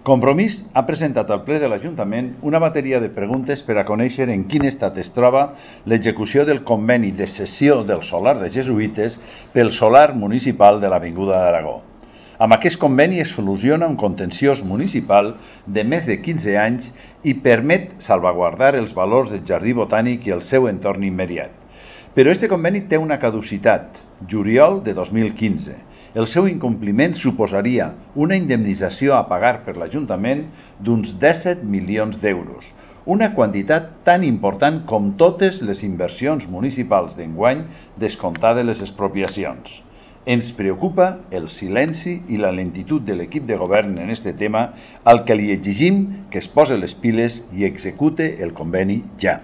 Compromís ha presentat al ple de l'Ajuntament una bateria de preguntes per a conèixer en quin estat es troba l'execució del conveni de cessió del solar de Jesuïtes pel solar municipal de l'Avinguda d'Aragó. Amb aquest conveni es soluciona un contenciós municipal de més de 15 anys i permet salvaguardar els valors del Jardí Botànic i el seu entorn immediat. Però aquest conveni té una caducitat, juliol de 2015. El seu incompliment suposaria una indemnització a pagar per l'Ajuntament d'uns 17 milions d'euros, una quantitat tan important com totes les inversions municipals d'enguany descomptades les expropiacions. Ens preocupa el silenci i la lentitud de l'equip de govern en aquest tema, al que li exigim que es posi les piles i execute el conveni ja.